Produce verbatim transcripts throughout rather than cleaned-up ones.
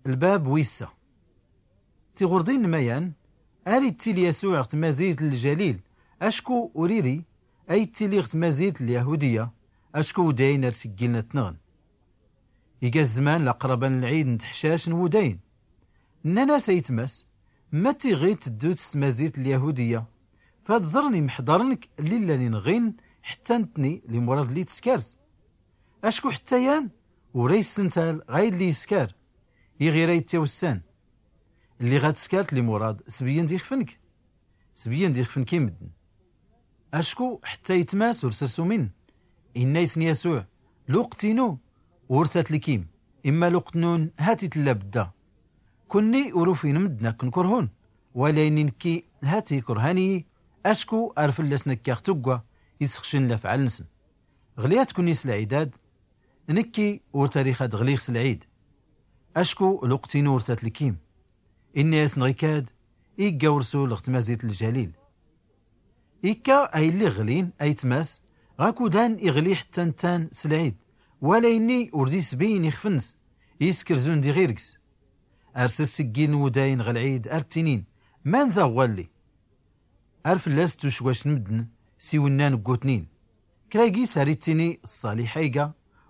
Lbab wissa. Tiɣurḍin n mayan, ar ittili yasuɛ ɣ tmazilt n ljalil, acku ur iri a ittili ɣ tmazilt n lyahudiya, acku udayn ar sggiln ad t-nɣn. Iga zzman laqraban n lɛid n tḥcac n wudayn. Nnan-as aytmas, ma tiɣid teddut s tmazilt n lyahudiya, fad ẓrn imḥḍarn-k lli llan inɣin, ḥtta ntni limurad lli tskart. Acku ḥtta yan ur a issental ɣa illi iskar, iɣir a ittiwssan. Lli ɣa tskart limurad sbiyyn d ixfn-k, sbiyyn d ixfn-k i mddn. Acku ḥtta aytmas ur srs umin. Inna isn yasuɛ, luqt inu ur tatlkim, imma luqt nnun hati tlla bdda. Kunni ur ufin mddn akn kurhun, wala inni nkki hati kurhan iyi. Acku ar fllasn akkaɣ tugga isxcn lafɛal nsn. Ɣliyat kunni s lɛidad, nkki ur tarix ad ɣliɣ s lɛid. Acku luqt inu ur tatlkim. Inna yasn ɣikad, igga ursul ɣ tmazilt n ljalil. Ikka a illi ɣlin aytmas ɣakudan iɣli ḥtta nttan s lɛid, wala inni ur d isbiyyn ixfn-ns, iskrz und iɣirgs. Ar sggiln wudayn ɣ lɛid ar ttinin, man zaɣ ɣwalli? Ar fllas tucwacn mddn s iwnnan n gutnin. Kra gis ar ittini ṣṣaliḥ a iga,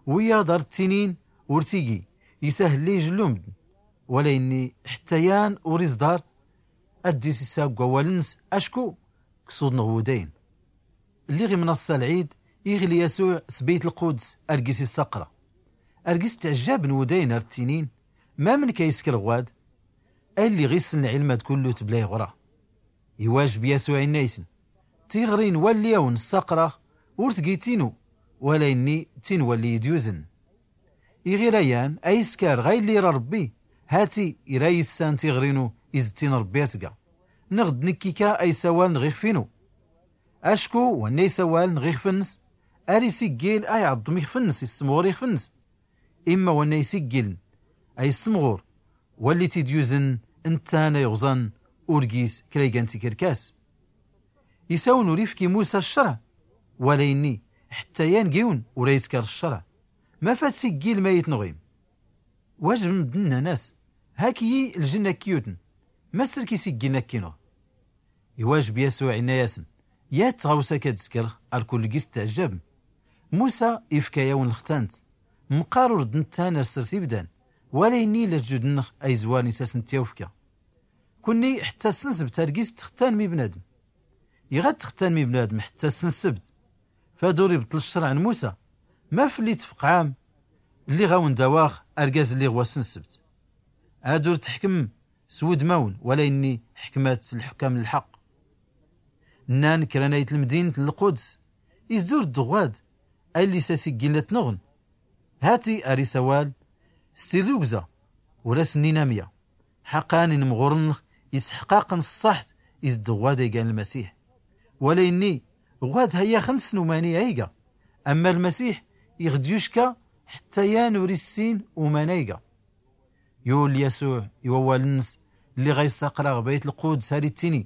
wiyaḍ ar ttinin ur tigi, isahl ijllu mddn. Wala inni ḥtta yan ur iẓḍar ad d-isissa g wawal-ns, acku ksuḍn ɣ wudayn. Lliɣ imnaṣṣa lɛid, iɣli yasuɛ s byt lquds ar gis issaqra. Ar gis ttɛjjabn wudayn ar ttinin, mamnk a iskr ɣwad? A illi ɣ issn lɛilm ad kullut bla iɣra. Iwajb yasuɛ inna isn, tiɣri n walli awn ssaqraɣ ur tgi tinu, wala inni tin walli id yuzn. Iɣir ayan a iskar ɣa illi ira rbbi, hati ira issan tiɣri inu iz ttin rbbi a tga. Nɣd nkki ka a isawaln ɣ ixf inu. Acku wanna isawaln ɣ ixf-ns, ar isiggil a iɛḍḍm ixf-ns, issmɣur ixf-ns. Imma wanna isiggiln a issmɣur walli t id yuzn, nttan a iɣẓan ur gis kra igan tikrkas. Isawn ur ifki musa ccrɛ, wala inni ḥtta yan giwn ur a iskar ccrɛ. Maf ad siggilm a itnɣim? Wajb mddn nnan-as, hak iyi ljn akk iyutn, ma srk isiggiln akk inɣ? Iwajb yasuɛ inna yasn, yat tɣawsa ka d-skrɣ ar kull gis ttɛjjabm. Musa ifka yawn lxtant, mqar ur d nttan ar srs ibdan, wala inni lajjud nnɣ a izwarn isasn ttyawfka. Kunni ḥtta s nnsbt ar gis ttxttanm i bnadm. Iɣ ad ttxttanm i bnadm ḥtta s nnsbt, fad ur ibṭṭl ccrɛ n musa. Maf lli tfqɛam lli ɣ awn dawaɣ argaz lli ɣ wass n nnsbt? Ad ur tḥkm s wudmawn, wala inni ḥkmat s lḥkam n lḥaq. Nnan kra n ayt lmdint n lquds, izur dd ɣwad a illi s asiggiln a tnɣn. Hati ar isawal s tirrugza, ur as nnin amya. Ḥaqan inmɣur nnɣ isḥqaqn ṣṣaḥt iz dd ɣwad a igan lmasiḥ. Wala inni ɣwad hayyaxn ssn umani a iga, amma lmasiḥ iɣ d yucka ḥtta yan ur issin uman a iga. Yul yasuɛ i wawal-ns lli ɣa issaqra ɣ bayt lquds ar ittini,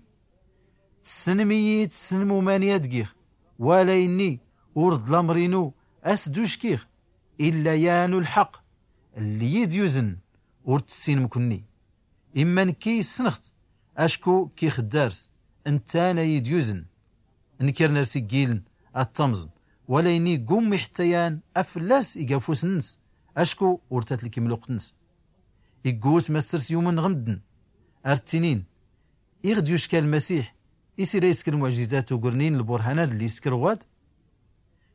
tssnm iyi tssnm umani ad giɣ, wala inni ur d lamr inu as d uckiɣ, illa yan u lḥaq lli id yuzn. Ur tssinm kunni, imma nkki ssnɣ-t, acku kki xddars nttan a id yuzn. Nkirn ar siggiln ad tamẓn, wala inni gummi ḥtta yan a fllas iga fus-ns, acku ur tatlkim luqt-ns. Iggut ma srs yumn ɣ mddn, ar ttinin, iɣ d yucka lmasiḥ is ira iskr lmuɛjizat ugr nin lburhanat lli iskr ɣwad?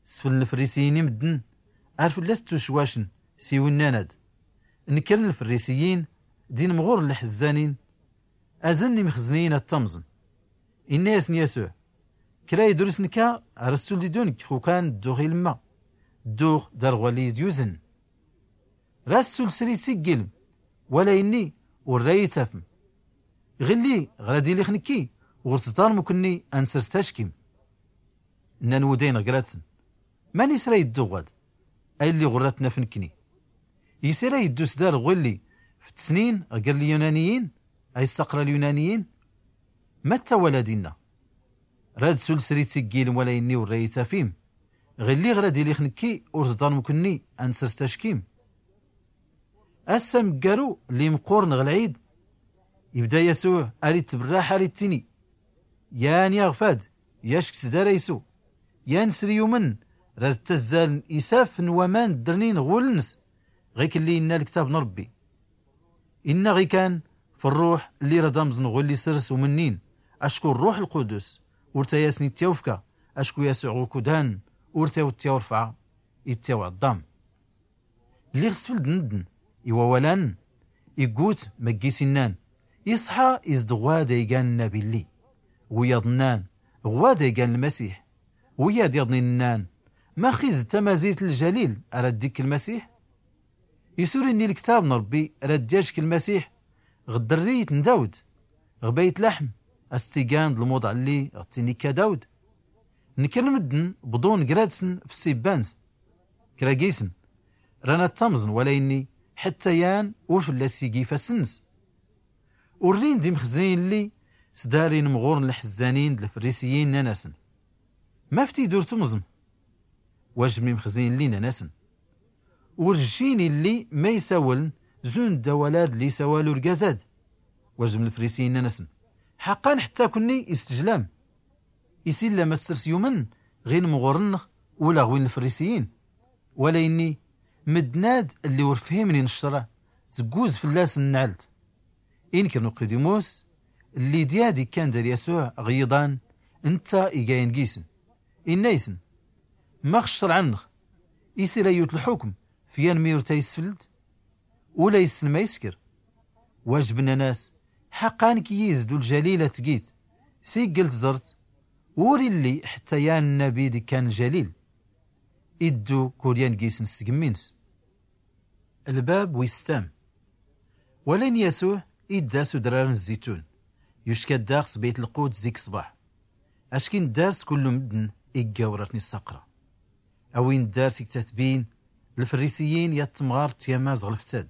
Sfln lfrisiyin i mddn, ar fllas ttucwacn s iwnnanad. Nkirn lfrisiyin d inmɣur n lḥzzanin, azn imxzniyin ad tamẓn. Inna yasn yasuɛ, kra idrusn ka ar ssul d idun nkk xukan dduɣ ilmma, dduɣ dar ɣwalli id yuzn. Ra ssul sri tsiggilm, wala inni ur ra itafm. Ɣilli ɣ ra d ilix nkki ɣur tḍarm uknni a nsrs tackim. Nnan wudayn ɣ gratsn, mani sra iddu ɣwad a illi ɣur ra tnaf nkni? Is ira iddu sdar ɣwilli f tsnin ɣ gr lyunaniyin a issaqra lyunaniyin? Matta wala dinna. Ra d ssul sri tsiggilm wala inni ur ra itafim. Ɣilli ɣ ra d ilix nkki ur tḍarm uknni a nsrs tackim. Ass amggaru lli mqurn ɣ lɛid, ibda yasuɛ ar ittbrraḥ ar ittini, yan yaɣfad, yack sdar aysu, yan sri yumn rad ttazzaln isaf n waman ddrnin ɣ wul-ns, ɣik lli inna lktab n rbbi. Inna ɣikan f rruḥ lli rad amẓn ɣ wlli srs umnnin, acku rruḥ lqudus ur tayasn ittyawfka, acku yasuɛ ɣ ukudan ur tayawt ittyawrfɛa, ittyawɛḍḍam. Lliɣ sfld n mddn i wawal-ann, iggut maggis innan, iṣḥa is-d ɣwad aygan nnabi lli. Wiyaḍ nnan, ɣwad aygan lmasiḥ. Wiyaḍ yaḍnin nnan, max is-d tamazilt n ljalil ara dd-ikk lmasiḥ? Is ur inni lktab n rbbi rad d-yajk lmasiḥ ɣ ddrriyt n dawd, ɣ bayt laḥm, a-s-tt-igan d lmuḍa lli ɣ tt-inikka dawd? Nkr lmddn bḍun gra-tsn f ssibba-ns. Kra gisn ran ad-ttamẓn wala inni, ḥtta yan ur fllas igi ifass-ns. Urrin-d imxzniyin lli sdar inmɣurn lḥzzanin d lfrisiyin, nnan-asn, maf tid ur tmẓm? Wajbn imxzniyin lli nnan-asn, ur jjin illi ma isawln zund awal-ad lli isawal urgaz-ad. Wajbn lfrisiyin nnan-asn, ḥaqqa n ḥtta kunni is-tjlam. Is illa ma ssrs yumn ɣ inmɣurn-nx ula ɣ win lfrisiyin? Wala inni, mddn-ad lli ur fhimnin ccriɛ, tgguz fllasn nnɛlt. Inkr n uqidimus lli d-yad ikkan dar yasuɛ ɣ yiḍan, ntta iga yan gisn, inna-ysn, max ccriɛ-nx is ira yut lḥukm f yan mi ur tayisfld? Ula issn ma iskr. Wajbn nnan-as, ḥaqqa nkki is-d uljalil a-t-git, s igl tẓrt ur illi ḥtta yan nnabi d-ikkan ljalil. Iddu kul yan gisn s tgmmi-ns. Lbab wis tam. Walayn yasuɛ idda s udrar n zzitun, yucka-d dax s bayt lquds zik ṣṣbaḥ, ackin dda-s kullu mddn igga ur ar tn-issaqra. A win ddar tiktatbin, lfrisiyin yat tmɣart tyamaz ɣ lftad,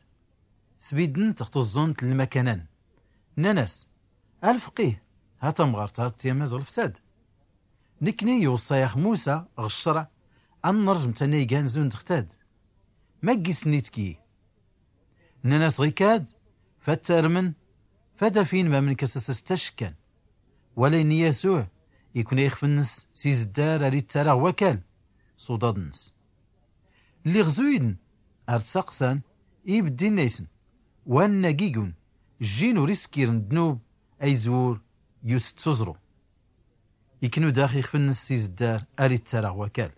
sbiddnt ɣ tuẓẓunt n lmakana-n, nnan-as, a lfqih, ha tamɣart ha tyamaz ɣ lftad? Nkni iwṣṣa-yax musa ɣ ccriɛ a nrjm tanayga n zund ɣ tad. Ma ggis-nni tkki? Nnan-as, ɣikad, fad tarmn, fad afin mamnk a-s-srs tackan. Walayn yasuɛ ikun a ixf-nns s izdar ar ittar-aɣ wakal s uḍaḍ-nns. Lliɣ zuydn ar t-saqsan, ibdd inna-ysn, wa nna gigun jjin ur iskirn ddnub a izwur yus-d s uẓru. Iknu dax ixf-nns s izdar ar ittar-aɣ wakal.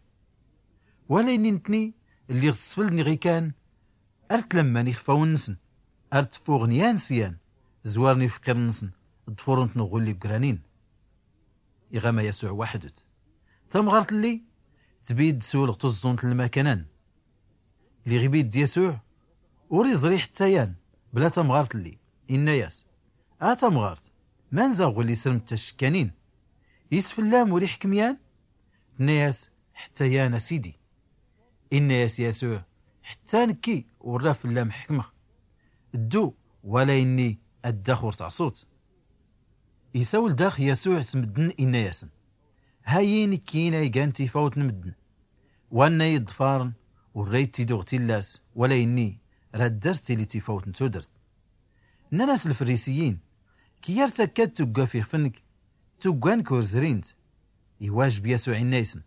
Walayn ntni lliɣ sfldn iɣ ikan ar tlamman ixfawn-nsn, ar tfuɣn yan s yan, zwarn ifqirn-nsn, ḍfurn-tn ɣ wlli ggranin. Iɣama yasuɛ waxdut. Tamɣart lli tbidd sul ɣ tuẓẓunt n lmakana-n. Lliɣ ibidd yasuɛ ur iẓri ḥtta yan bla tamɣart lli, inna-yas, a tamɣart, manza ɣwlli srmt tackanin? Is fllam ur ixkm yan? Tnna-yas, ḥtta yan a sidi. Inna-yas yasuɛ, ḥtta nkki ur ra fllam ḥkmɣ. Ddu, walayn-nni ad dax ur tɛṣut. Isawl dax yasuɛ s mddn, inna-yasn, hayi nkkin a igan tifawt n mddn. Wa nna iḍfarn ur ra ittidu ɣ tillas, walayn-nni ra ddar tili tifawt n tudrt. Nnan-as lfrisiyin, kiyar takka d tugga f ixf-nk, tugga-nk ur zrint. Iwajb yasuɛ inna-ysn,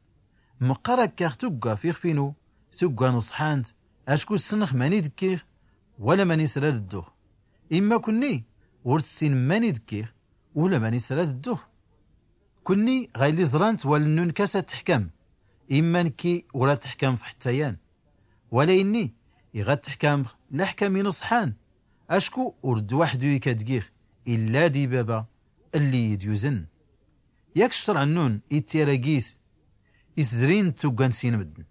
mqqar akka ɣ tugga f ixf-inu, tugga n uṣḥant, acku ssnx mani d-kkiɣ wala mani s rad ddux. Imma kunni ur tssinem mani d-kkiɣ ula mani s rad ddux. Kunni ɣayli ẓrant wallen-nnun kas ad tḥkam, imma nkki ur ad tḥkamx ḥtta yan. Walayn-nni iɣ ad tḥkamx laḥkam-inu ṣṣḥan, acku ur d waxdu-yi k ad giɣ, illa di baba lli iyi-d-yuzn. Yak ccriɛ-nnun ittyara gis is zrin d tugga n sin mddn.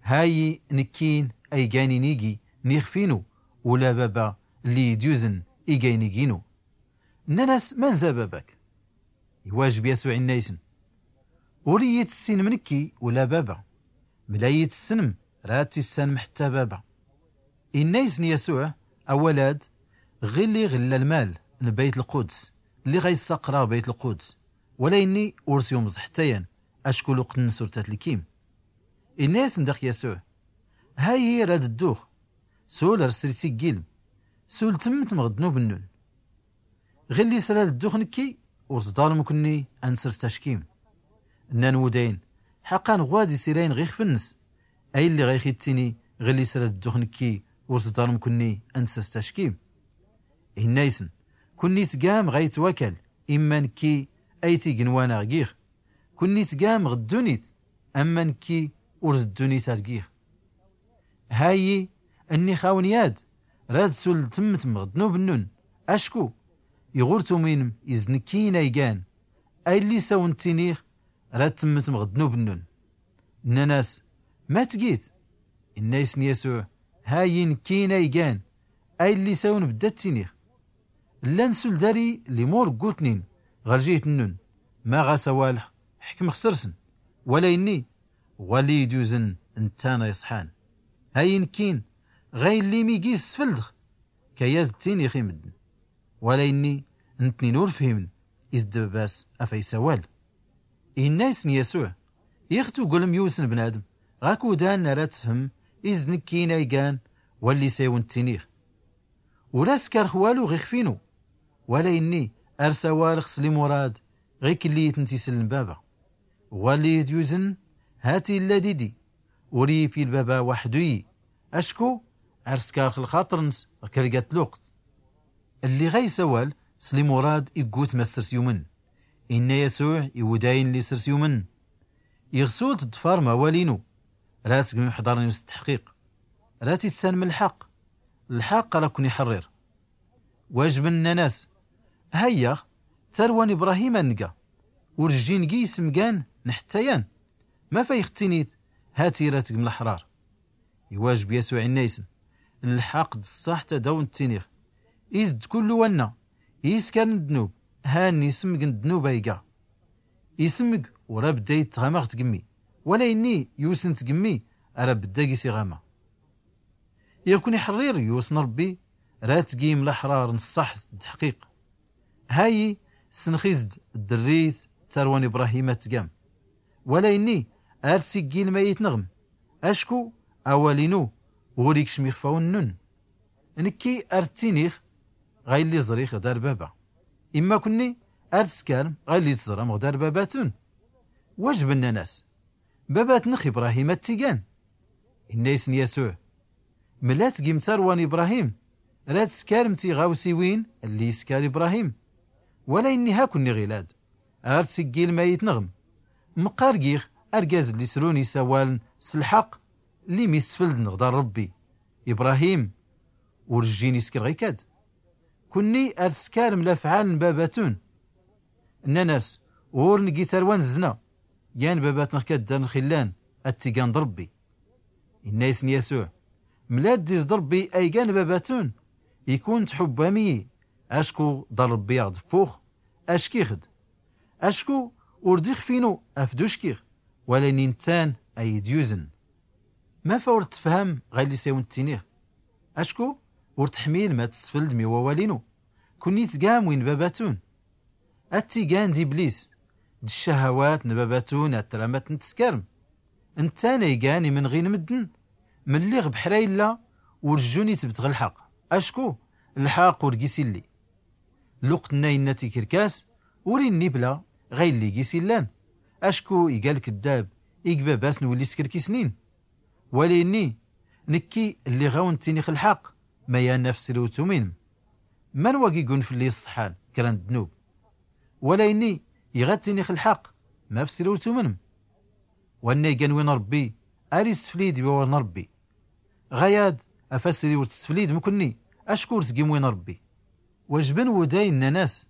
Hayi nkkin a igan inigi n ixf-inu, ula baba lli iyi-d-yuzn iga inigi-inu. Nnan-as, manza baba-k? Iwajb yasuɛ inna-ysn, ur iyi-tssinem nkki ula baba. Mla iyi-tssnem ra tissanem ḥtta baba. Inna-ysn yasuɛ, a walad, ɣilli ɣ illa lmal n bayt lquds lli ɣa issaqra ɣ bayt lquds, walayn-nni ur s yumẓ ḥtta yan, acku luqt-nns ur tat lkim. Inna-yasn dax yasuɛ, hayi rad ddux, Sul ar sri siggilm, sul tmmtm ɣ ddnub nnun. Ɣilli sra ddux nkki, ur tḍalm kunni a nsrs tackim. Nnan wudayn, ḥaqqan ɣwad isirayn ɣ ixf nns, a illi ɣa ixi ttini, ɣilli sra ddux nkki, ur tḍalm kunni a nsrs tackim. Inna isn, kunni tgam ɣa itwakal, imma nkki a itignwan a ɣ gix. Kunni tgam ɣ ddunit, amma nkki ur d ddunit a ɣ gix. Hayi, nnix awn yad, rad sul tmmtm ɣ ddnub nnun, acku iɣ ur tumwinm iz d nkki in a igan, a illi s awn ttinix, rad tmmtm ɣ ddnub nnun. Nnan as, ma tgit? Inna isn yasuɛ, hayi nkki in a igan, a illi s awn bdda ttinix. Llan sul dari limur ggutnin ɣ rjit nnun, ma ɣas awal ḥkm xsrsn, wala inni ɣwalli idyuzn nttan a iṣḥan. Hayi nkkin, ɣa illi mi gis sfldx, kayad ttinix i mddn. Wala inni, ntnin ur fhimn iz d babas a fa isawal. Inna isn yasuɛ, ixtu gulm yusn bnadm ɣa kudan ara tfhm iz d nkki in a igan, walli s awn ttinix. Ur as karx walu ɣ ixf inu, wala inni ar sawalx s limurad ɣ iklli itn tisl n baba. Ɣwalli idyuzn, hati illa didi, ur ifi lbaba waxdu iyi, acku ar skarx lxaṭr nns ɣ krgat luqt. Lli ɣa isawal s limurad iggut ma ssrs yumn. Inna yasuɛ i wudayn lli srs yumn, iɣ sul tḍfarm awal inu, rad tgmim ḥḍar inu s ttḥqiq, rad tissanm lḥaq, lḥaq ara kkun ixrrir. Wajbn nnan as, hayyax, tarwa n ibrahim a nga, ur jjin gi ismgan n ḥtta yan. Ma fa ixttinit, hati rad tgm lḥrar. Iwajb yasuɛ inna isn, lḥaq d ṣṣaḥt ad awn ttinix, iz d kullu wanna iskarn ddnub, han ismg n ddnub a iga. Ismg ur abdda itɣama ɣ tgmmi, wala inni yusn tgmmi ara abdda gis iɣama. Iɣ kwn ixrrir yusn rbbi, rad tgim lḥrar n ṣṣaḥt d ḥqiq. Hayi, snx iz d drrit tarwa n ibrahim a tgam, wala inni ar tsiggilm a itnɣm, acku awal inu ur ikcm ixfawn nnun. Nkki ar ttinix ɣa illi ẓrix ɣ dar baba, imma kunni ar tskarm ɣa illi tẓram ɣ dar babatun. Wajb nnan as, babatnx ibrahim a ttigan. Inna isn yasuɛ, mlat gim tarwa n ibrahim, rad tskarmt iɣawsiwin lli iskar ibrahim. Wala inni ha kunni ɣilad, ar tsiggilm a itnɣm, mqqar gix argaz lli srun isawaln s lḥaq, lli mi sfldn ɣ dar rbbi, ibrahim ur jjin iskr ɣ ikad. Kunni ar tskarm lafɛal n babatun. Nnan as, ur ngi tarwa n zzna, yan babatnx kaddar nx illan a ttigan d rbbi. Inna isn yasuɛ, mlad diz d rbbi a igan babatun, ikun tḥubbam iyi, acku d rbbi aɣ dffux, ackix d, acku ur d ixf inu afd uckix, wala inni nttan a idyuzn. Ma fa ur tfham ɣa illi s awn ttinix, acku ur tḥmilm ad tsfldm i wawal inu, kunni tgam win babatun. A ttigan d iblis, d ccahawat n babatun a tramt n tskarm. Nttan a igan imnɣi n mddn, mlli ɣ bḥra illa, ur jjun itbt ɣ lḥaq, acku lḥaq ur gis illi. Luqt nna inna tikrkas, ur inni bla ɣa illi gis illan, acku iga lkddab ig babas n willi skrkisnin. Wala inni, nkki lliɣ awn ttinix lḥaq, ma yan afsri ur tumwinm. Man wagi gun flli iṣṣḥan kra n ddnub? Wala inni, iɣ a ttinix lḥaq, ma afsri ur tumwinm? Wanna igan win rbbi, ar issflid i wawal n rbbi. Ɣayad, afasri ur tsflidm kunni, acku ur tgim win rbbi. Wajbn wuday nnan as,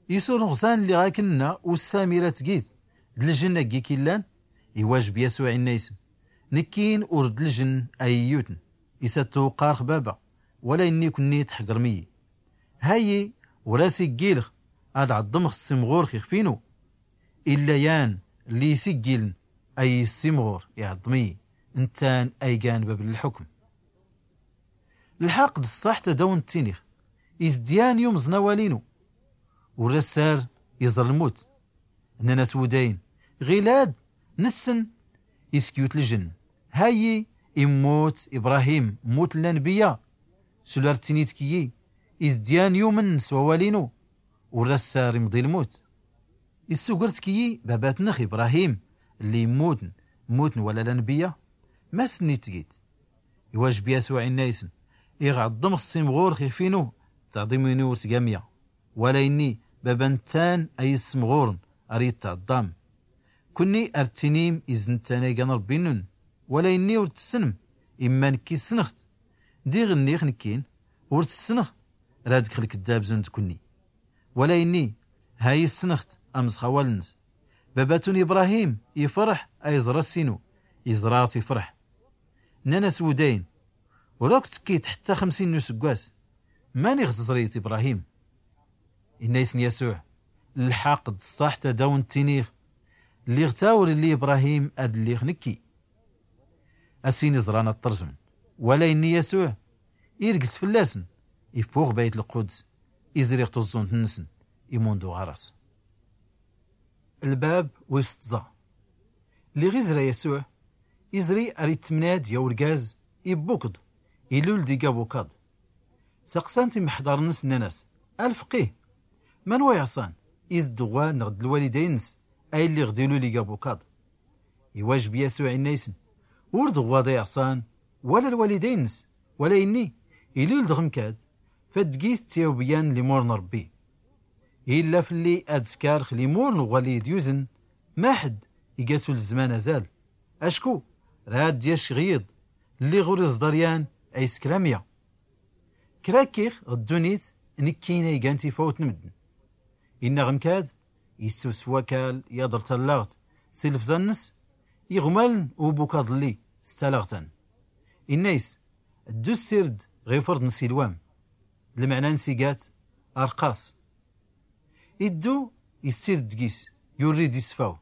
is ur nɣẓan lliɣ aknna ussam ira tgit d ljnn a gik illan? Iwajb yasuɛ inna isn, nkkin ur d ljnn a iyyutn, is a ttuwqqarx baba, wala inni kunni tḥgrm iyi. Hayyi, ur as iggilx ad ɛḍmx s imɣur x ixf inu. Illa yan lli isiggiln a iyi s imɣur iɛḍm iyi, nttan a igan bab n lḥukm. Lḥaq d ṣṣaḥt ad awn ttinix, is d yan yumẓn awal inu. Ur as ar iẓr lmut. Nnan as wudayn, ɣilad nssn is kyut ljnn. Hayyi, Immut ibrahim, mmut llanbiyya. Sula rtini tkiyi, izdyan yumn s wawal inu. Ur rassar imḍi lmut. Issugr tkiyi babatnx ibrahim, lli immutn mmutn wala llanbiyya? Masnni tgit. Iwajb yasuɛ inna isn, iɣ ɛḍḍmx s imɣur xif inu, ttaɛḍim inu ur tgamya. Wala inni baba nttan a yismɣurn ar ittɛḍḍam. Kunni ar ttinim iz nttan a igan rbbi nnun. Wala inni ur tssnm, imma nkki ssnɣt. Diɣ nnix nkkin ur tssnɣ. Rad gx lkddab zund kunni. Wala inni ha yissnɣt. Amẓ xawal nns, baba tun ibrahim ifrḥ a iẓr ass inu. Iẓrat ifrḥ. Nnan as wudayn, ur akk tkkit ḥtta xmsin n usggwas. Mani ɣ tẓrit ibrahim? Inna isn yasuɛ, lḥaq d ṣṣaḥ tadawn ttiniɣ. Lliɣ ta ur illi ibrahim ad lliɣ nkki. Asin iẓran ad ṭṭrzmn. Wala inni yasuɛ, irgs fllasn. Iffux bayt lquds, izri ɣ tuẓẓunt nnsn. Imunḍu ɣaras. Lbab wis tẓa. Lliɣ izra yasuɛ, izri ar ittmnad ya urgaz ibbukḍ, ilul d igabukaḍ. Saqsan-t imḥḍarn nns nnan-as, a lfqih, man wa iɛṣan, iz d ɣwad nɣ d lwalidayn nns a illi ɣ d ilul igabukaḍ? Iwajb yasuɛ inna isn, ur d ɣwad a iɛṣan, wala lwalidayn nns, wala inni ilul d ɣ mkad, fad gis ttiyawbyan limur n rbbi. Illa flli ad skarx limur n ɣwali d yuzn, maḥd iga sul zzman azal. Acku rad yac ɣ yiḍ lliɣ ur iẓḍar yan a iskr amya. Kra kkiɣ ɣ ddunit, nkkin a igan tifawt n mddn. Inna ɣ mkad, isswsw wakal yaḍr tallaɣt s ilfẓa nns, iɣmaln ubukaḍ lli s talaɣt an. Inna is, ddu ssird ɣ ifrḍ n silwam. Lmɛna nns iga-t arqaṣ. Iddu issird gis, yurri-d isfaw.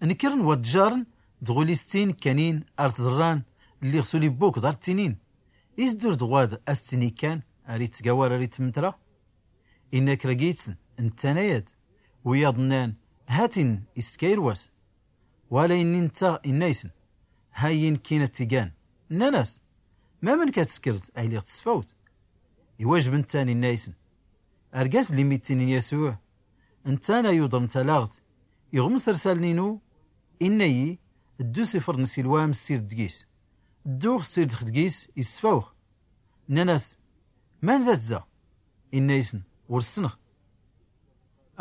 Nkkrn wa ddjarn dɣul isttin kkanin ar tẓrran lliɣ sul ibbukḍ ar ttinin, is dur d ɣwad a sttin ikkan ar ittgawar ar ittmtra. Inna kra gis-nsn, nttan aya-d. Wiyaḍ nnan, hatin istkayr was. Wala inni ntta inna isn, hayyi nkkin a ttigan. Nnan-as, mamnk a tskrd a iliɣ tsfawt? Iwajb nttan inna isn, argaz lli mittinin yasuɛ, nttan a yuḍrn talaɣt iɣ msrsaln inu, inna-yi, ddu s ifrḍ n silwam ssird gis. Dduɣ ssird x d gis, isfawx. Nnan-as, manza-t za? Inna isn, ur ssnɣ.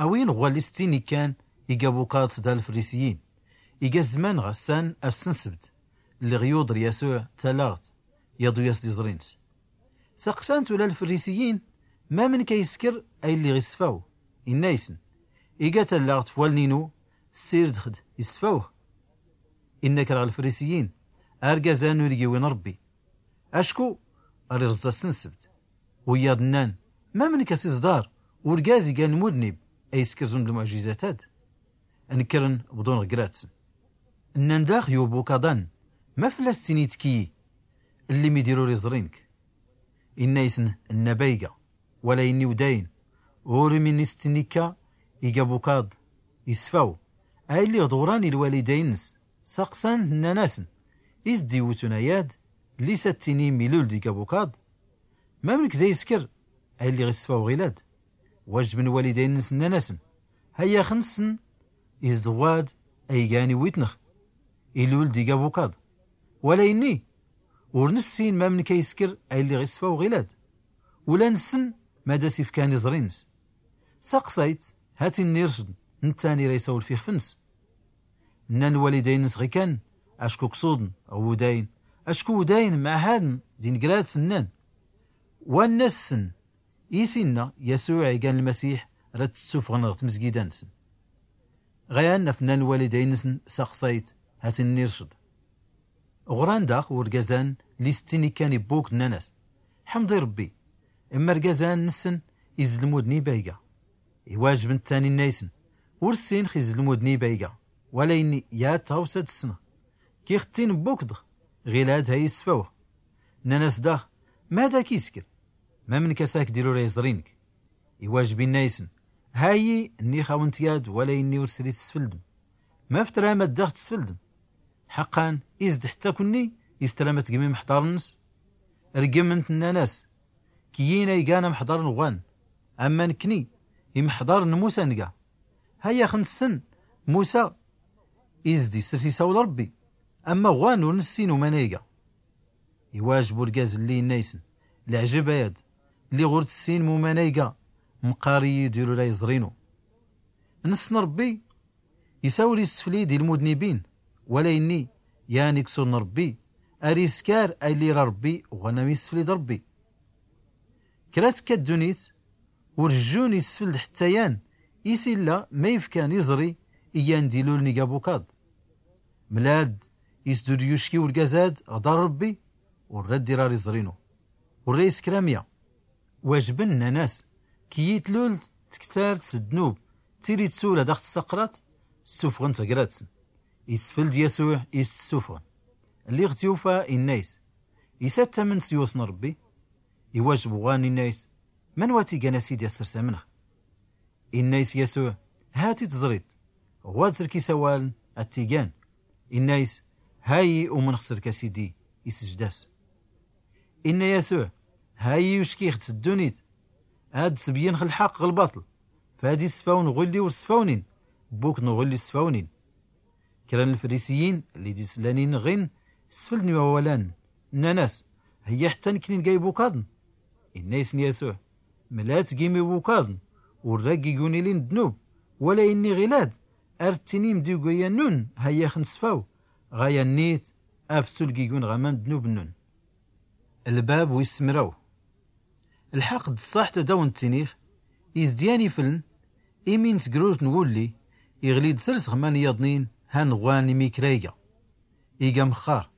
Awin ɣwal isttin ikkan igabukaḍ s da lfrisiyin, iga zzman ɣ assan a ssnsbt lliɣ yuḍr yasuɛ talaɣt yaḍu yas d iẓri-ns. Saqsan-t ula lfrisiyin, mamnk a iskr a illi ɣ isfaw? Inna isn, iga talaɣt f waln inu, ssird x d isfawx. Inna kra ɣ lfrisiyin, argaz an ur ig iwin rbbi, acku ar irẓẓa ssnsbt. Wiyaḍ nnan, mamnk a s iẓḍar urgaz igan lmudnib a iskr zund lmuɛjizat ad? Nkkrn bḍun ɣ grat-sn. Nnan dax yubukaḍ-an, ma fllas ttini tkki-yi, lli midir ur iẓri nk? Inna isn, nna bayga, wala inni wdayn, ur min isttin ikka igabukaḍ isfaw a illi ɣ d ɣran ilwalidayn-ns. Saqsan-t nnan-asn, is d iwtun aya-d lli s a ttinim ilul d igabukaḍ? Mamnk za iskr a illi ɣ isfaw ɣilad? Wajbn lwalidayn-ns nnan-asn, hayya x nssn, is d ɣwad a igan iwwitn x, ilul d igabukaḍ. Wala inni, ur nssin mamnk a iskr a illi ɣ isfaw ɣilad. Ula nssn mad as ifkan iẓri-ns. Saqsayt, hatin ircḍ, nttan ira isawlf ixf-ns. Nnan lwalidayn-ns ɣ ikan, acku ksuḍn ɣ wudayn, acku wudayn mɛahadn d ingrat-sn nnan. Wa nna ssn, is inna yasuɛ igan lmasiḥ, rad t-ssufɣn ɣ tmzgida-nsn. Ɣayan af nnan lwalidayn-nsn, saqsayt, hatin ircḍ. Ɣran dax urgazan lli s ttin ikkan ibbukḍ nnan-as, ḥmḍ i rbbi, imma argazan nssn izlmudn i bayga. Iwajb nttan inna isn, ur ssinx izlmudn i bayga, wala inni yat tɣawsa ad ssnx. Kki x ttin bbukḍ x, ɣilad ha isfawx. Nnan-as dax, mad ak iskr? Mamnk as ak dirur a iẓri nk? Iwajb inna isn, hayyi nnix awn-t yad, wala inni ur srit sfldm. Maf tram ad dax tsfldm? Ḥaqqan, is d ḥtta kunni Istram a tgim imḥḍarn-ns. Rgmn-t, nnan-as: Kiyyin a igan amḥḍar n-ɣwan, amma nkni imḥḍarn n-musa nga. Hayya xnssn, musa izd isrs isawal rbbi, amma ɣwan ur nssin uman a iga. Iwajb urgaz lli inna-isn: Lɛjb ayad, lliɣ ur tssinm uman a iga, mqqar iyyi d-ilul a iẓr-inu. Nssn rbbi isawr issflid ilmudnibin, wala inni yan iksur n-rbbi ar iskar a illi ira rbbi ɣwan am issflid rbbi. Kra tkka ddunit ur jjun issfld ḥtta yan is illa ma ifkan iẓri i yan d-iluln iga bukaḍ. Mlad isdud yucki urgaz ad ɣḍar rbbi, ur rad irar iẓr-inu, ur ra iskramya. Wajbn, nnan-as: Kiyyi tlult tktart s-ddnub, tili tsur ad aɣ-tsaqrat? Ssufɣn-t ɣ-gratsn. Isfld yasuɛ is-ssufɣn. Lliɣ tyufa, inna-is: Is a ttamnt s-iwsn rbbi? Iwajb ɣwan inna-is: Manwa a t-igan a sidi asrs amnɣ? Inna-is yasuɛ: Hat i tẓrit, ɣwad srk isawaln a t-igan. Inna-is: Hayi umnɣ srk a sidi, isjdas. Inna yasuɛ: Hayi uckix-d s-ddunit ad-sbyynx lḥaq ɣ-lbaṭl, fad isfawn ɣulli ur sfawnin, bukn ɣulli sfawnin. Kra n-lfrisiyyin lli d-isllanin ɣin sfldn iwawalan, nnan-as: Hya ḥtta nkni nga ibukaḍn? Inna-isn yasuɛ: Mla tgim ibukaḍn ur ra gigun ilin ddnub, wala inni ɣilad ar ttinim d-iguyannun: Hayya xnsfaw ɣaya nnit, afsul gigun ɣ-aman ddnub-nnun. Lbab wis mraw. Lḥaq d-ṣṣaḥt ad-awn-ttiniɣ, izd yan ifln, imi n-tgrurt n-wulli iɣli-d trs ɣ-man iyaḍnin han ɣwan imikr a iga. Iga mxxar.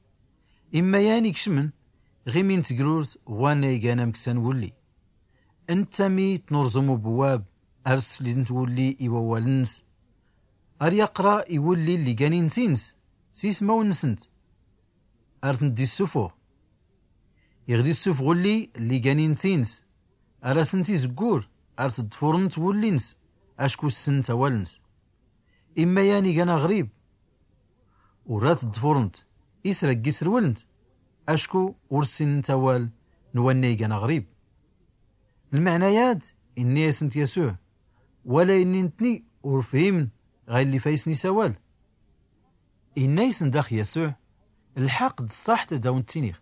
Imma yan ikcmn ɣ-imi n-tgrurt ɣwan a igan amksa n-wulli. Ntta mi tnurẓum ubwab ar sflidnt wulli i wawal-ns, ar yaqra i wulli lli gan inti-ns s-ismawn-nsnt, ar tnt-d-issufuɣ. Iɣ d-issufɣ ulli lli gan inti-ns, ar asnt-izggur ar tḍfurnt wulli-ns, acku ssnt awal-ns. Imma yan igan aɣrib ur ra tḍfurnt isra gg-isrwlnt, acku ur ssinnt awal n-wanna igan aɣrib. Lmeɛna yad, inna-yasnt yasuɛ, wala inni ntni ur fhimn ɣa illi fayisn isawal. Inna-yasn dax yasuɛ, lḥaq d-ṣṣaḥt ad-awn-ttiniɣ,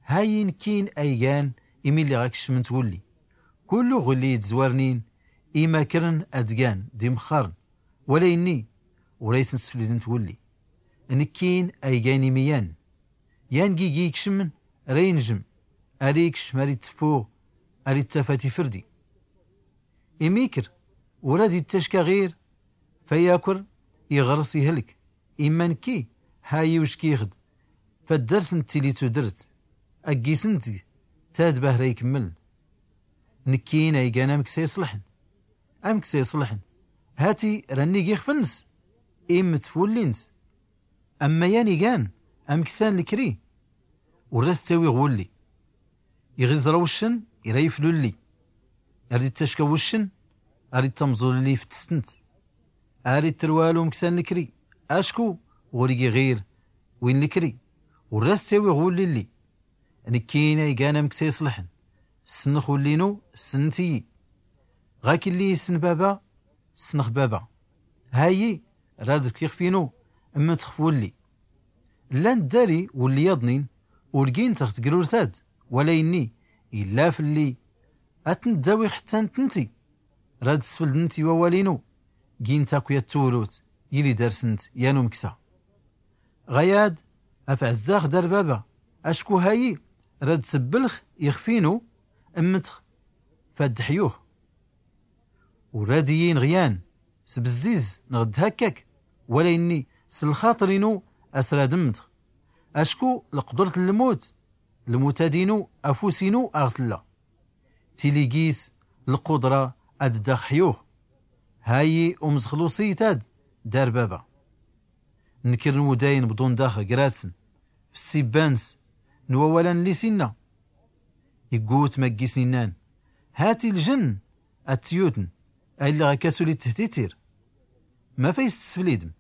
hayi nkkin a igan imi lliɣ akcmnt wulli. Kullu ɣulli idzwarnin imakrn ad-gan d-imxxarn, wala inni ur aysn-sflidnt wulli. Nkkin a igan imi yan, yan gigi ikcmn ra injm, ar ikcm ar ittffuɣ, ar ittaf a tifrdi. Imikr ur ad-ittacka ɣir fayakr iɣrs ihlk. Imma nkki, hayi uckix-d faddars n-ttili tudrt, aggisnt tad bahra ikmmln. Nkkin a igan amksa iṣlḥn. Amksa iṣlḥn, hati ra nnig ixf-ns, immt f-wulli-ns. Amma yan igan amksa n-lkri, ur ra-t-ttawiɣ wulli. Iɣ iẓra wuccn ira iflulli, ar d-ittacka wuccn, ar ittamẓulli iftstnt. Ar ittrwal umksa n-lkri, acku ɣur-igi ɣir win lkri, ur ra-t-ttawiɣ wulli-lli. Nkkin a igan amksa iṣlḥn, ssnx wulli-nu, ssnt-iyi. Ɣa killi issn baba, ssnx baba. Hayi rad-fk ixf-inu, mmtx f-wulli. Llan ddari wulli yaḍnin ur gint ɣ-tgrurt-ad, wala inni illa flli ad-tnt-dawiɣ ḥtta ntnti rad-sfldnt i wawal-inu, gint akk yat tewrut illi darsnt yan umksa. Ɣayad, af-ɛzzax dar baba, acku hayi rad-sbblx ixf-inu, mmtx fad-ḥyux. Ur rad-iyi-inɣ yan s-bzziz nɣ-d-hakkak, wala inni s-lxaṭr-inu as-rad-mmtx. Acku lqdrt n-lmut, lmut-ad-inu afus-inu aɣ-tlla. Tili gis lqudra ad-dax-ḥyux. Hayi umẓxl uṣiy-tad dar baba. Nkr n-wudayn bḍun dax gratsn f-ssibba-ns n-wawal-an lli s-inna. Iggut ma ggisn innan, hati lljnn ad-tyutn, a illi ɣa kasul itthtittir. Mafay s-tsflidm?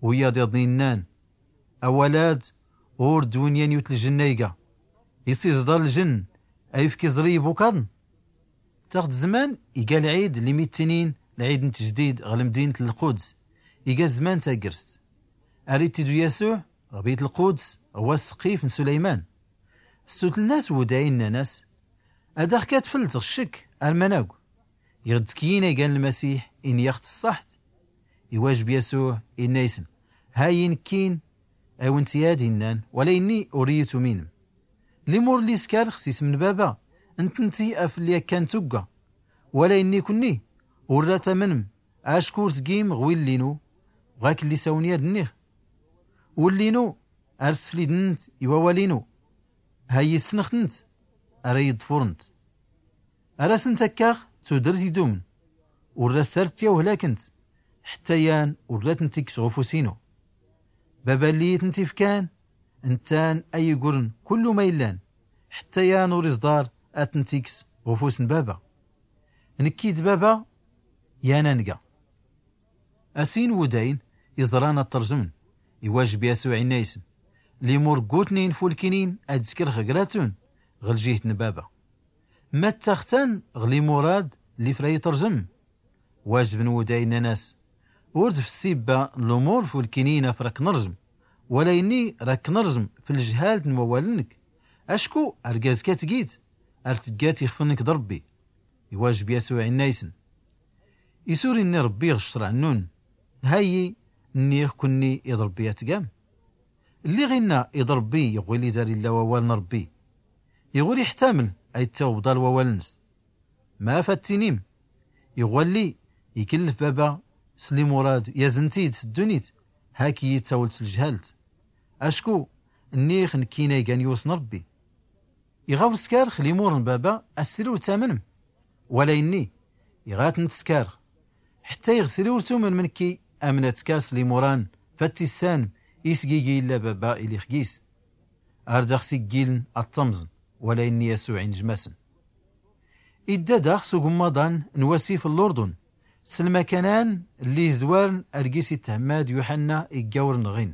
Wiyaḍ yaḍnin nnan, awal-ad Ur d-winyan yut ljenna iga. Is iẓḍar ljenn a yefk iẓri ibukaḍn. Taɣt zzman iga lɛid lli mittinin, lɛid n-tjdid ɣ lmdinat n lquds. Iga zzman tagrst. Ar ittidu yasuɛ ɣ bit lquds ɣ wass sqif n suleyman. Ssutln-as wuday nnan-as, ad aɣ-katflt ɣ ccekk ar manag? Iɣ ddkyin a igan lmasiḥ inyaɣ-t ṣṣaḥt. Iwajeb yasuɛ inna-isn, hayi nnkin a-wen-t-yad innan, wala inni ur iyi-tuminm. Limur lli skar ɣ sism n baba, ntnti a flli akkan tugga. Wala inni kunni ur ra tamnm, acku ur tgim ɣ willi-nu ɣ akk lli s-awen-yad-nniɣ. Willi-nu ar sflidnnt i wawal-inu. Hayi ssnɣt-nt, ar ayi-ḍfurnt. Ar asnt-akkaɣ tudrt idumn. Ur ra ssart tyawhlaknt, ḥtta yan ur ra tnt-ikkes ɣ ufus-inu. Baba lli iyi-tnt-ifkan, nttan a igurn kullu ma illan, ḥtta yan ur iẓḍar ad-tnt-ikkes ɣ ufus n baba. Nkki d baba yan a nga. Asin wudayn iẓran ad-trẓmn. Iwajeb yasuɛ inna-isn, limur ggutn infulkinin ad-skrx gratun ɣ ljiht n baba. Mattaɣ-tan ɣ limurad lli fr ayi-trẓm. Wajeb n wuday nnan-as, ur d f ssibba n lumur fulkinin a fr ak-nrẓm, wala inni ra k-nrẓm f ljhalt n wawal-nnk. Acku argaz ka tgit ar tggat ixf-nnk d rbbi. Iwajeb yasuɛ inna-isn, is ur inni rbbi ɣ ccrɛ-nnun? Hayi nniɣ kunni iḍ rbbi a-tgam. Lliɣ inna iḍ rbbi iɣ willi dar illa wawal n rbbi. Iɣ ur iḥtaml a-ittaw bḍal wawal-ns. Ma f-a-t-tinim? Iɣ walli ikllf baba s limurad yazn-t-id s ddunit, hak iyi-tawlt s ljhalt. Acku nniɣ nkkin a igan yiwṣ n rbbi. Iɣ a-ur skarx limur n baba a-sri ur tamnm? Wala inni iɣ a-tnt-skarx, ḥtta iɣ sri ur tumnm nkki, amnat kas limuran f-a-t-issanm isgigi illa baba ilix gis. Ar daɣ siggiln a-ṭṭmẓn. Wala inni yasuɛ injm-asn. Idda daɣ s ugmmaḍan n wasif n lurdun, s lmakanan lli izwarn ar gis itthmad yuḥanna iggawrn ɣin.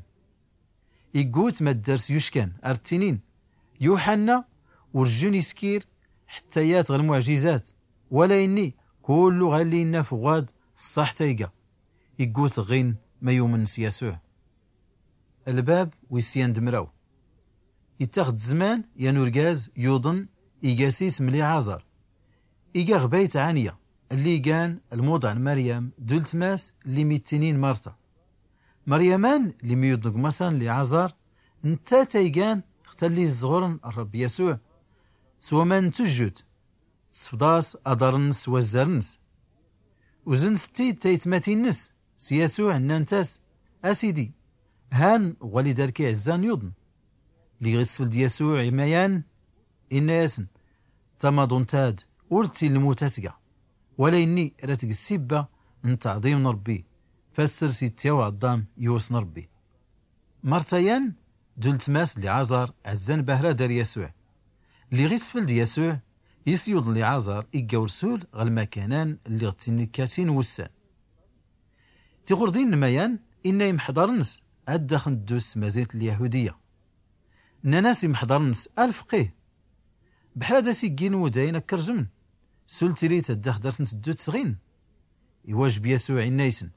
Iggut ma ddars yuckan ar ttinin, yuḥanna urjun iskir ḥtta yat ɣ lmuɛjizat. Wala inni kullu ɣalli inna f uɣad ṣṣaḥt a iga. Iggut ɣin ma yumn s yasuɛ. Lbab wis yan d mraw. Ittaɣ-d zzman yan urgaz yuḍn iga s ism liɛaẓar. Iga ɣ bayt ɛanya lli igan lmuḍa n maryam d ultmas lli mittinin marta. Maryaman lli myuḍn ɣ maṣan liɛaẓar, nttat a igan ɣ talli ẓẓɣurn rrbb yasuɛ s waman n tujjut. Tsfḍa-s aḍar-nns s wazzar-nns. Uzn-tt-id taytmatin-nns s yasuɛ nnant-as, a sidi, han ɣwali dark iɛzzan yuḍn. Lliɣ isfld yasuɛ i mayan, inna-yasn, tamaḍunt-ad ur tt-ilmut a-tga, wala inni ra tg ssibba n tɛḍim n rbbi. Fassr s ittyaw ɛḍḍam yiwṣ n rbbi. Marta yan d ultmas liɛaẓar ɛzzan bahra dar yasuɛ. Lliɣ isfld yasuɛ is yuḍn liɛaẓar igga ursul ɣ lmakanan lliɣ ttinnikkatin wussan. Tiɣurdin n mayan inna imḥḍarn-ns ad daxn ddus s tmazint n lyahudiya. Nnan-as imḥḍarn-ns, alfqih, bḥra da siggin wudayn akk rzmn sul tirit ad dax darsn tddut sɣin. Iwajb yasuɛ inna-ysn,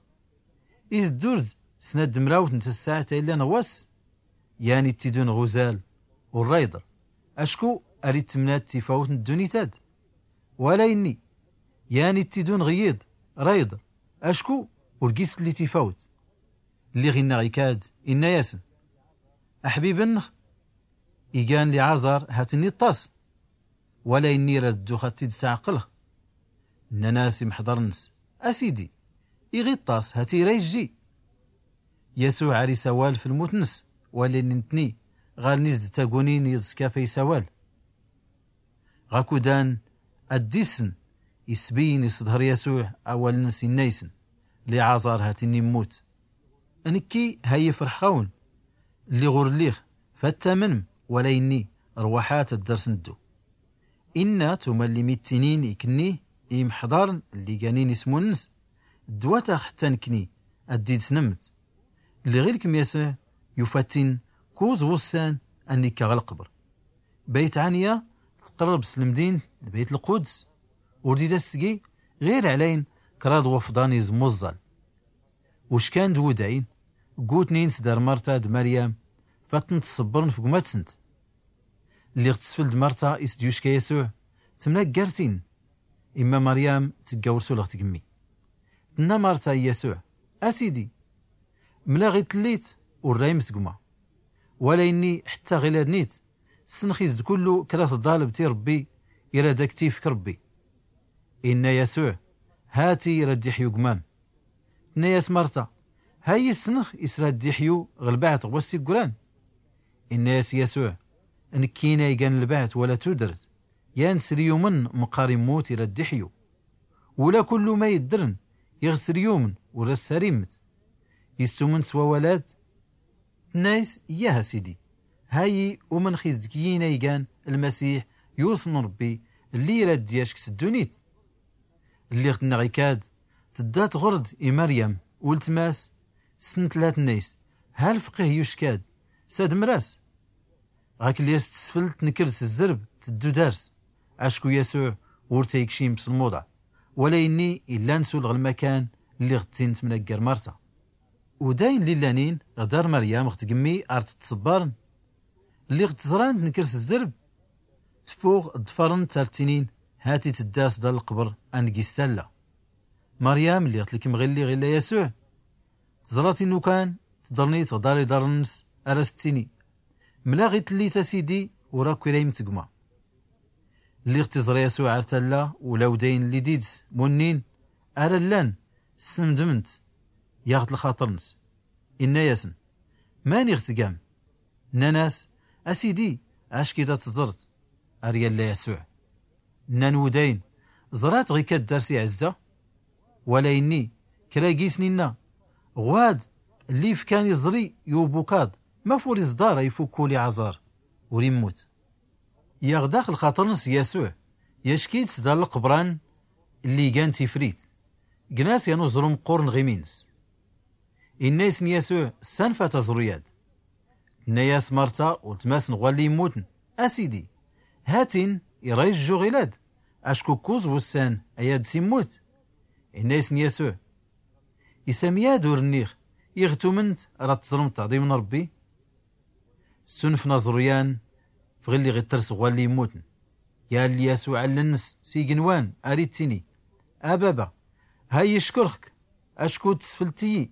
is ddurd snat d mrawt n tsaɛt a illan ɣ wass? Yan ittidun ɣ uzal ur ra iḍr, acku ar ittemnad tifawt n ddunit-ad. Wala inni, yan ittidun ɣ yiḍ ra iḍr, acku ur gis tli tifawt. Lliɣ inna ɣ ikad, inna-yasn, aḥbib nnx igan liɛaẓar hat inni iṭṭas. Wala inni ra ddux ad t-id-sɛqlx. Nnan-as imḥḍarn-ns, a sidi, iɣ iṭṭas hat i ra ijji. Yasuɛ ar isawal f lmut-ns, wala inni ntni ɣaln is d tagunin iḍ skaf a isawal. Ɣakudan ad dd-issn isbiyyn isḍhar yasuɛ awal-ns inna-ysn, liɛaẓar hat inni mmut. Nkki ha ifrḥ ɣawm lliɣ ur lliɣ, fattamnm, wala inni rwaḥat ad darsn ddu. Inna tumal lli mittinin iknni i imḥḍarn lli ganin ismun-ns, ddwat-aɣ ḥtta nkni ad dd-id-snmmt. Lliɣ ilkm yasuɛ yufattin kuz wussan ann ikka ɣ lqbr. Bayt ɛniya tqrrb s lmdint n bayt lquds, ur d-id-as sgi ɣir ɛlayn kraḍ wufḍan izmuẓẓal. Uckan d wudayn, gutnin s dar marta d maryam, fatn tsbrn f gma-tsnt. Lliɣ tsfl d marta is d-yucka yasuɛ tmnaggartin. Imma maryam tgga ur sulɣ tgmmi. Tnna marta i yasuɛ, a sidi, mlaɣ i tllit ur raymt gma. Wala inni ḥtta ɣ iladn-it ssnx-is d kullu kra tḍalbt i rbbi, irad ak-tifk rbbi. Inna yasuɛ, hati irad iḥyu gma-m. Tnna-yas marta, hayi ssnx is rad iḥyu ɣ lbaɛt ɣ wass iggran. Inna-yas yasuɛ, nkkin a igan lbaɛt wala tudrt, yan sr iyumn mqqar immut irad iḥyu. Ula kullu ma iddrn iɣ sr iyumn ur as-sar immt. Istumn s wawal-ad? Tnna-yas, yah a sidi. Hayi umnx is d kiyyin a igan lmasiḥ, yuṣn rbbi, lli irad iyack s ddunit. Lliɣ tnnaɣ ikad, tdda tɣrd i maryam ultm-as, ssn tlla tnna-yas, ha lfqih yucka-d s admr-as. Ɣakk lli-as tsfl tnkr-d s zzrb tddu dar-s. Acku yasuɛ ur t-ikcim s lmuḍa, wala inni illan sulɣ lmakan lliɣ ttin tmnaggar marta. Udayn lli llanin ɣ dar maryam ɣ tgmmi ar tt-tsbrn, lliɣ tt-ẓran tnkr s zzrb. Tfuɣ ḍfarn-tt ar ttinin, hati tdda s dar lqbr ann gis talla. Maryam lliɣ tlkm ɣilli ɣ illa yasuɛ, tẓra-t inukan, tḍrn-it ɣ dar iḍarn-ns, ar as-ttini, mlaɣ i tllit a sidi, ur akk iraymt gma. Lliɣ tiẓra yasuɛ ar talla ula udayn lli d-id-s munnin, ar allan ssmdmn-t yaɣ-t lxaṭr-ns. Inna-yasn, mani ɣ tgam? Nnan-as, a sidi, ack-id ad tẓrt ar yalla yasuɛ. Nnan wudayn, ẓrat ɣ ikad dar s iɛzza. Wala inni, kra gisn inna, ɣwad lli ifkan iẓri i ubukaḍ, maf ur iẓḍar a ifukku liɛẓar ur immut? Yaɣ dax lxaṭr-ns yasuɛ, yack-id s dar lqbran lli igan tifrit, gn-as yan uẓru mqqurn ɣ imi-ns. Inna-yasn yasuɛ, ssanfat aẓru-yad. Tnna-yas marta ultm-asn ɣ walli immutn, a sidi, hatin iray jjuɣ ilad, acku kkuẓ wussan ayad s immut. Inna-yasn yasuɛ, is am yad ur nniɣ, iɣ tumnt rad tẓrmt taḍimt n rbbi? Ssunfn aẓru-yan f ɣilli ɣ ittrs ɣ walli immutn. Yalli yasuɛ allen-ns s ignwan ar ittini, a baba, hay ickrɣ-k, acku tsflt-iyi.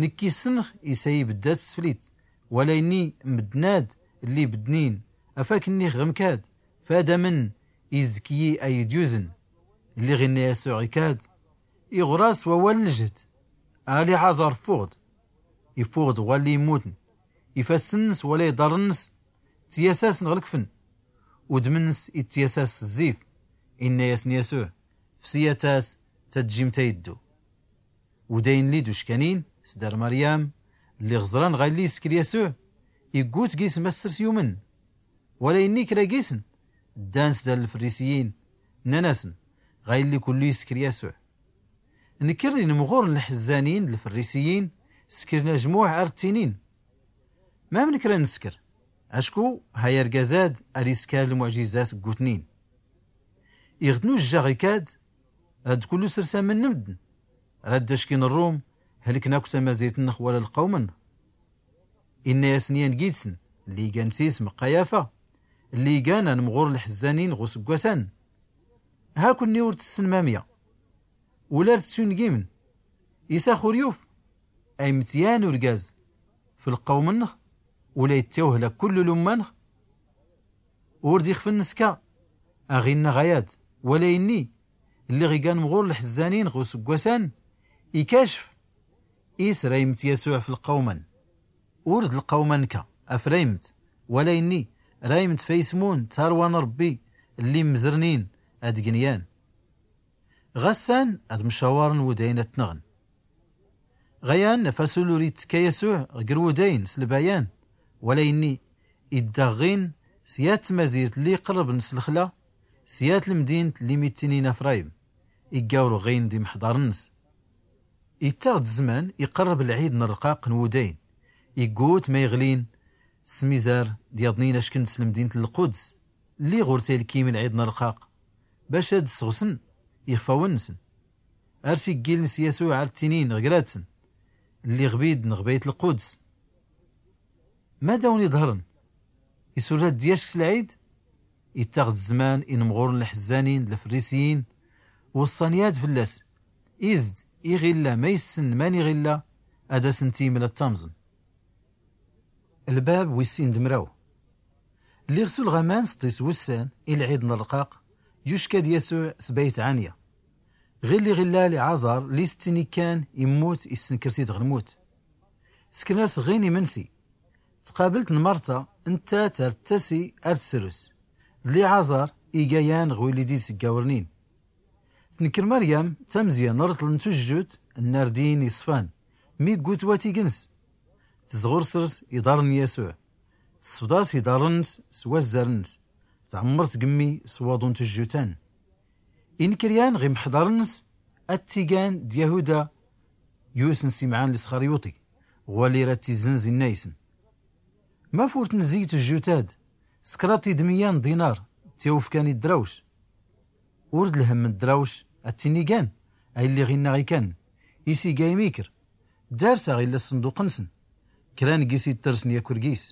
Nkki ssnɣ is a ibddat tsflit, wala inni mddn-ad lli bddnin, afak nnix ɣ mkad, fad amn izkyi a id-yuzn. Lliɣ inna yasuɛ ikad, iɣr-as wawal n ljhd, a liɛẓar ffuɣ-d. Iffuɣ-d ɣ walli immutn, ifassen-ns wala iḍarn-ns ttyasasn ɣ lkfn, udm-ns ittyasas s zzif. Inna-yasn yasuɛ, fsiyat-as, tadjimt a iddu. Udayn lli d uckanin s dar maryam, lliɣ ẓran ɣa illi iskr yasuɛ, iggut gism assr s yumn. Wala inni kra gisn ddan s dar lfrisiyin, nnan-asn, ɣa illi kullu iskr yasuɛ. Nkr inmɣur n lḥzzanin d lfrisiyin, skrin ajmuɛ ar ttinin, mamn kra nskr? Acku hay argaz-ad ar iskar lmuɛjizat ggutnin. Iɣ tnujjaɣ ikad, rad kullu srsmn mddn, rad ackn rrum, hlkn akk tamazirt-nnx wala lqawm-nnx. Inna-yasn yan gid-sn lli igan s ism qayafa, lli igan anmɣur n lḥzzanin ɣ usggwas-an, ha kunni ur tssn mamya, ula ar tsyungimn, is ax ur yuf a imtyan urgaz f lqawm-nnx, ula ittawhlak kullu lumma-nnx? Ur d-ixfn nska, aɣ inna ɣayad, wala inni, lliɣ igan mɣur lḥzzanin ɣ usggwas-an, ikacf is raymt yasuɛ f lqawm-an. Ur d lqawm-an nka, af raymt, wala inni, raymt f aysmun tarwa n rbbi, lli mmzrnin ad gnyan. Ɣassan ad mcawarn wudayn ad tnɣn. Ɣayan afasul ur ittka yasuɛ ɣ gr wudayn s lbayan, wala inni, idda ɣin s yat tmazirt lli iqrrbn s lxla, s yat lmdint lli mittinin afrayim, igga ur ɣin d imḥḍarn-ns. Ittaɣ-d zzman iqrrb lɛid n rrqaq n wudayn, iggut ma iɣlin Smizar d yaḍnin ashkn s lmdint n lquds lli ɣur-t aylkym lɛid n rqaq, bac ad sɣsn ixfawn-nsn. Ar s-iggiln s yasuɛ ar ttinin ɣ grat-sn, lliɣ bid n ɣbayt lquds. Mad awn-iḍhṛn? Isurra d dyack s lɛid? Ittaɣ-d zzman inmɣurn lḥzzanin d lfrisiyin, wṣṣan yad fllas, izd iɣ illa ma issn mani ɣ illa, ad asn-t-iml ad t-amẓn. Lbab wis sin d mraw. Lliɣ s ulɣaman sḍis wussan i lɛid n rqaq, yucka-d yasuɛ s bayt ɛanya. Ɣilli ɣ illa liɛaẓar lli s ttini kkan immut, issnkr-t-id ɣ lmut. Skn-as ɣin imnsi. Tqablt n marta nttat ar ttasi ar tsrus, d liɛaẓar iga yan ɣ willi d-id-sggawrnin. Tnkr maryam tamzya n rṭl n tujjut n nardin iṣfan, mi ggut watig-ns. Tzɣur srs iḍarn n yasuɛ, tsfḍ-as iḍarn-ns s wazzar-ns, tɛmmrt gmmi s waḍu n tujjut-an. Inkr yan ɣ imḥḍarn-ns ad tt-igan d yahuda, yusn simɛan lisxaryuṭi, ɣwalli rad t-izznz inna-isn: Maf ur tnzzi tujjut-ad s kraḍ idmiyya n ḍinar, tt-iwfkan i ddrawc? Ur d lhmm n ddrawc ad tt-inigan, a illi ɣ inna ikan, is iga imikr, dars aɣ illa sṣnḍuq-nsn, kra n gis ittrsn yakk rgis.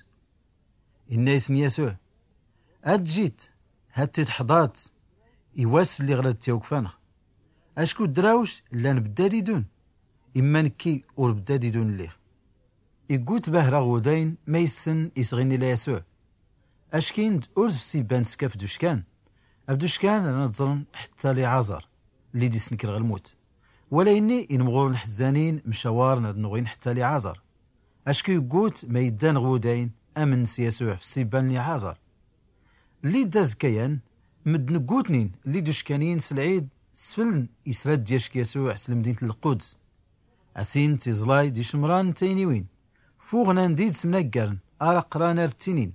Inna-isn yasuɛ: Ad jit, hat-t-id ḥḍat i wass lliɣ rad tt-iwkfan. Acku ddrawc llan bddad idun, imma nkki ur bddad idun lliɣ. Iggut bahra ɣ wudayn ma issn is ɣ inna illa yasuɛ. Ackin d ur d fsibba n skaf d uckan, af d uckan rad ẓrn ḥtta liɛaẓar lli d-isnkr ɣ lmut. Wala inni inmɣurn lḥzzanin mcawarn ad nɣwin ḥtta liɛaẓar. Acku iggut ma iddan ɣ wudayn amn s yasuɛ fsibba n liɛaẓar. Lli d azkka yan, mddn ggutnin lli d uckanin s lɛid sfln is rad d-yacki yasuɛ s lmdint n lquds. Asin tiẓlay d icmran n tayniwin fuɣn andi d-smnaggarn ar aqran ar ttinin: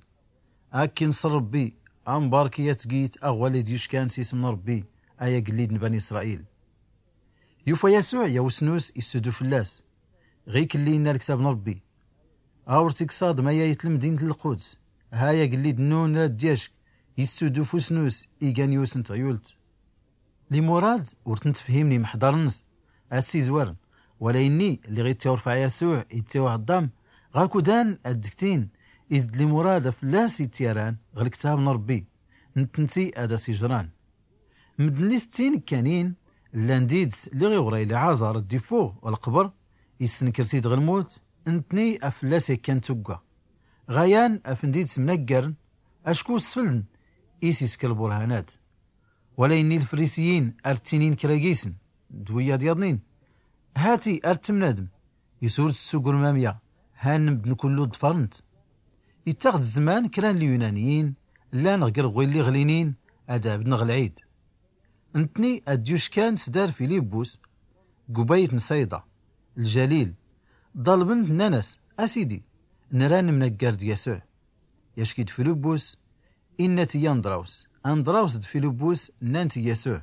Akkin s rbbi, ambark i at git aɣwali d-yuckan s ism n rbbi, ay agllid n bani isṛayil. Yufa yasuɛ yaw snus issudu fllas, ɣik lli inna lktab n rbbi: Awr tiksaḍ mayayt lmdint n lquds, ha-y agllid nnun rad d-yacki issudu f usnus igan yusn tɣyult. Limurad ur tn-tfhimn imḥḍarn-ns, a s-izwarn, wala inni lliɣ ittiwrfɛ yasuɛ ittiwɛḍḍam ɣ akudan ad-dktin, is d limurad a fllas ittiyaran ɣ lktab n rbbi, ntnti ad as-ijran. Mddn lli s ttin kkanin llan d-ids lliɣ iɣray liɛaẓar ad-ifuɣ ɣ lqbr, issnkr-t-id ɣ lmut, ntni a fllas yakkan tugga. Ɣayan afn d-id-smnaggarn, acku sfln is iskr lburhan-ad. Wala inni lfrisiyin ar ttinin kra gisn d wiyaḍ yaḍnin: Hati ar ttmnadm is ur tssugurm amya, han mddn kullu ḍfrn-t. Ittaɣ-d zzman kra n lyunaniyin llan ɣ grɣwi lliɣ linin ad abdn ɣ lɛid. Ntni ad-yuckan s dar filibbus, gubayt n sayḍa, ljalil, ḍalbn-t nnan-as: A sidi, nra nmnaggar d yasuɛ. Yacki-d filibbus, inna-t i yandrawus. Andrawus d filibbus nnan-t i yasuɛ.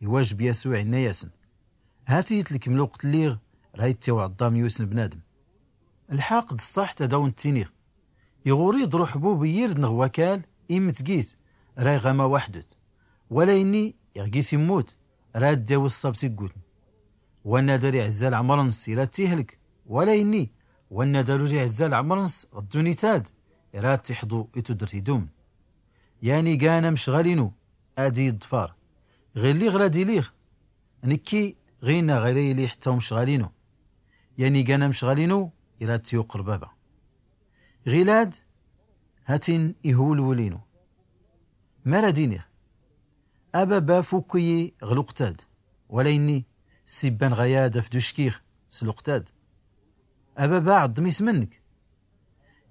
Iwajb yasuɛ inna-yasn: Hati-t lkm lwqt lliɣ ra ittiwɛḍḍam yusn bnadm. Lḥaq d ṣṣaḥt ad awn-ttiniɣ, iɣuri ḍruḥbub iyird nɣ wakal immt gis, ra iɣama waḥdut. Wala inni iɣ gis immut, ra ad-d-yawi ṣṣabt iggutn. Wanna dar iɛzzal ɛmr-ns ira t-ihlk. Wala inni wanna dar ur iɛzzal ɛmr-ns ɣ ddunit-ad, ira ad-t-iḥḍu i tuddrt idumn. Yan igan amcɣal inu ad-iyi-ḍfar, ɣilli ɣ ra d-iliɣ nkki, ɣinna ɣ ira ili ḥtta umcɣal inu. Yan igan amcɣal inu ira ad-t-yuqr baba. Ɣilad, hatin ihwlwul inu. Ma ra d-iniɣ: A baba fukk-iyi ɣ lwqt-ad. Wala inni ssibba nɣ ayad afd uckiɣ s lwqt-ad. A baba ɛḍḍm ism-nnk.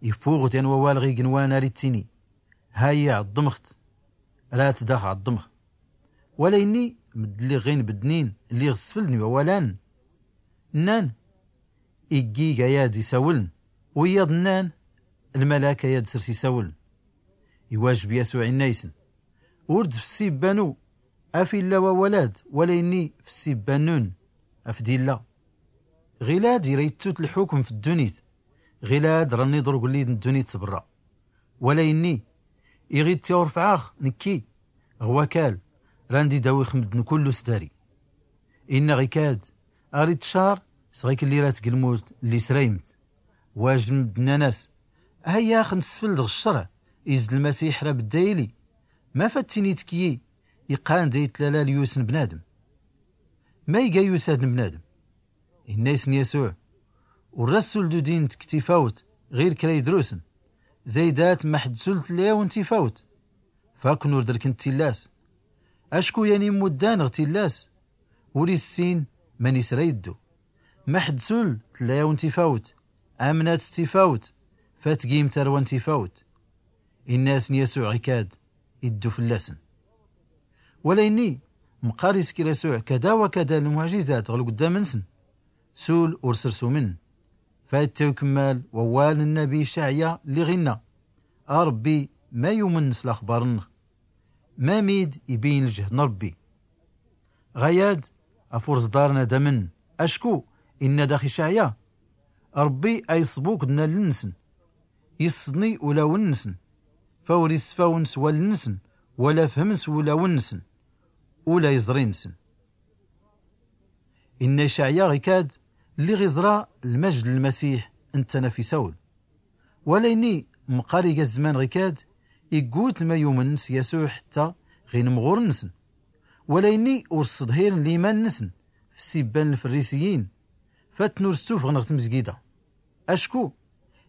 Ifuɣ-t yan wawal ɣ ignwan ar ittini: Hay-i ɛḍḍmɣ-t, ra-t daɣ ɛḍḍmɣ. Wala inni mddn lliɣ ɣin bddnin lliɣ sfld n iwawal-an. Nnan: Iggi g ayad isawln. Wiyaḍ nnan: Lmalak ayad srs isawln. Iwajb yasuɛ inna-ysn: Ur d f ssibba-nu af illa wawal-ad, wala inni f ssibba-nnun afd illa. Ɣilad ira ittut lḥukm f ddunit, Ɣilad ranni ḍurgulli d-dduni tsbrra. Wala inni iɣid tiɣurfɛaɣ, nekki ɣwakal randi dawix mddn kullu sdari. Inna ɣikad aɣ-id-tcar sɣiklli rat glmut lli sraymt. Wajn mddn anas, hayyax nsfld ɣ-ccrɛ izd lmasiḥ ra bddayli. Ma fattini tkyi iqqan day tlala lyusn bnadm. Ma iga yusad n bnadm? Inna isn yasuɛ, ur ra ssuldudin tktifawt ɣir kra idrusn. Zaydat maḥd sul tlayawn tifawt. Fakn ur drkn tillas. Acku yan immuddan ɣ tillas ur issin man isra iddu. Maḥd sul tlayawn tifawt, amnat tifawt fatgim tarwan tifawt. Inna asn yasuɛ ɣikad iddu fllasn. Wala inni mqqar iskir asuɛ kada wakada lmuɛjizat ɣ lgddam nsn. Sul ur srsumn. Fayt tiwkmmal wawal n nnabi icaɛya lli ɣinna, a rbbi, ma yumn s laxbar nnɣ? Mamid ibin ljhd n rbbi? Ɣayad af ur ẓḍarn ad amn. Acku inna dax icaɛya, rbbi a iṣbukd n alln nsn, isḍni ulawn nsn, fa ur isfawn s walln nsn wala fhmn s wulawn nsn ula iẓri nsn. Inna icaɛya ɣikad lli ɣ iẓra lmajjd n lmasiḥ ntana f isawl. Wala inni mqqar iga zzman ɣikad iggut ma yumn s yasuɛ ḥtta ɣ inmɣurn nsn. Wala inni ur sḍhirn liman nsn f ssibba n lfrrisiyin, fatn ur stufɣn ɣ tmzgida. Acku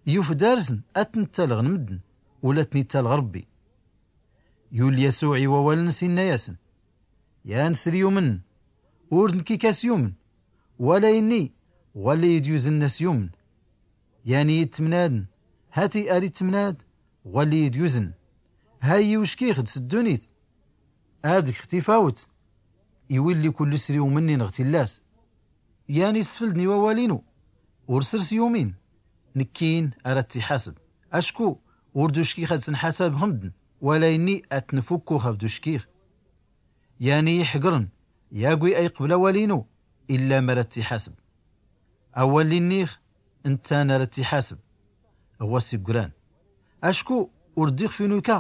yufdar sn atn ttalɣn mddn ula tn ittalɣ rbbi. Yul yasuɛ iwawal ns inna yasn, yan sr yumn, ur d nkik as yumn. Wala inni ɣwalli id yuzn as yumn. Yan id tmnadn, hati ar id tmnad ɣwalli id yuzn. Hay iwckixd s ddunit, adg ɣ tifawt iwilli kullu sr yumn inn ɣ tillas. Yan isfldn iwawal inu, ur srs yumin, nkkin ar at iḥasb. Acku ur d uckix ad snḥasabx mddn, wala inni atn fukkux abd uckix. Yan i iḥgrn yagwi a iqbl awal inu, illa ma ra t-iḥasb. Awal lli nnix, nttan a ra t-iḥasb ɣwas iggran. Acku ur ddix f inuka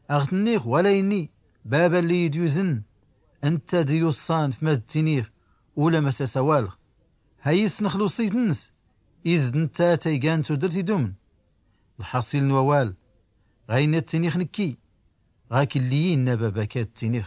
aɣ-t-nnix wala inni, baba lli id-yuzn ntta d-iwṣṣan f ma d-ttinix ula ma s-as-awalx. Ha-yi ssnx lwṣit-nns, izd ntta a-t-aygan tudrt idumn. Lḥaṣil n-wawal, ɣa ini a-t-inix nkki, ɣa-k lli inna baba-k a-t-inix.